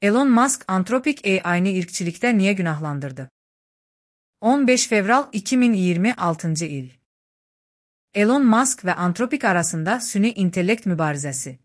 Elon Musk Anthropic AI'ni irkçilikte niye günahlandırdı? 15 Fevral 2026 il. Elon Musk ve Anthropic arasında süni intellekt mübarizesi.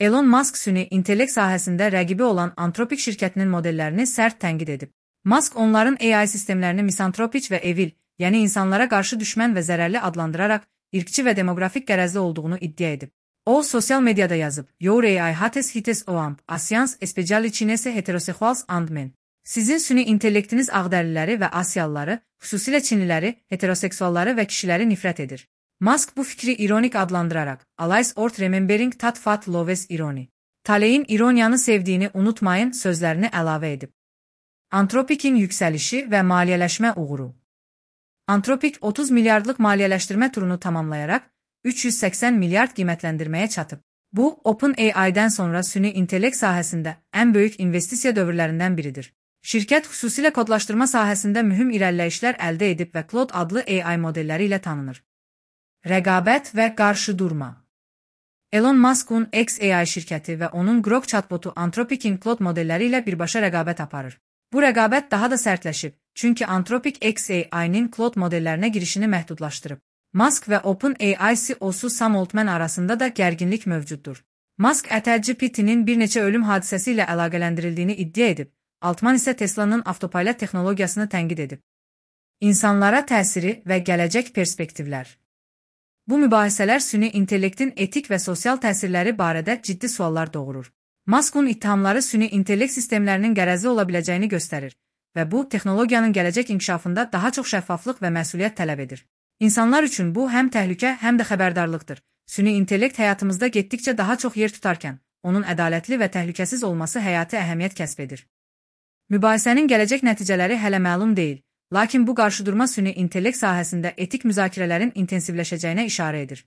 Elon Musk süni intellekt sahəsində rəqibi olan Anthropic şirkətinin modellerini sərt tənqid edib. Musk onların AI sistemlerini misantropik ve evil, yəni insanlara qarşı düşmən və zərərli adlandırarak irkçi ve demografik qərəzli olduğunu iddia edib. O, sosial medyada yazıb, Your AI hates hites oamp, Asians especially heterosexuals and men. Sizin süni intellektiniz ağdərliləri və Asiyalıları, xüsusilə Çinliləri, heteroseksualları və kişiləri nifrət edir. Musk bu fikri ironik adlandırarak, Always worth remembering that fat loves irony. Taleyin ironiyanı sevdiğini unutmayın sözlerini əlavə edib. Anthropic'in yüksəlişi və maliyyələşmə uğuru. Anthropic 30 milyardlıq maliyyələşdirmə turunu tamamlayarak 380 milyard qiymətləndirməyə çatıb. Bu, OpenAI'dən sonra süni intellekt sahəsində ən böyük investisiya dövrlərindən biridir. Şirkət xüsusilə kodlaşdırma sahəsində mühüm irəliləyişlər əldə edib və Claude adlı AI modelləri ilə tanınır. Rəqabət və qarşıdurma. Elon Musk'un xAI şirkəti və onun Grok chatbotu Anthropic'in Claude modelləri ilə birbaşa rəqabət aparır. Bu rəqabət daha da sərtləşib, çünki Anthropic xAI'nin Claude modellərinə girişini məhdudlaşdırıb. Musk və OpenAI CEO-su Sam Altman arasında da gərginlik mövcuddur. Musk ChatGPT'nin bir neçə ölüm hadisəsi ilə əlaqələndirildiyini iddia edib, Altman isə Tesla'nın avtopilot texnologiyasını tənqid edib. İnsanlara təsiri və gələcək perspektivlər. Bu mübahisələr süni intellektin etik və sosial təsirləri barədə ciddi suallar doğurur. Musk'un ittihamları süni intellekt sistemlərinin qərəzli ola biləcəyini göstərir və bu, texnologiyanın gələcək inkişafında daha çox şəffaflıq və məsuliyyət tələb edir. İnsanlar üçün bu həm təhlükə, həm də xəbərdarlıqdır. Süni intellekt həyatımızda getdikcə daha çox yer tutarkən, onun ədalətli və təhlükəsiz olması həyati əhəmiyyət kəsb edir. Mübahisənin gələcək nəticələri hələ məlum deyil, lakin bu qarşıdurma süni intellekt sahəsində etik müzakirələrin intensivləşəcəyinə işarə edir.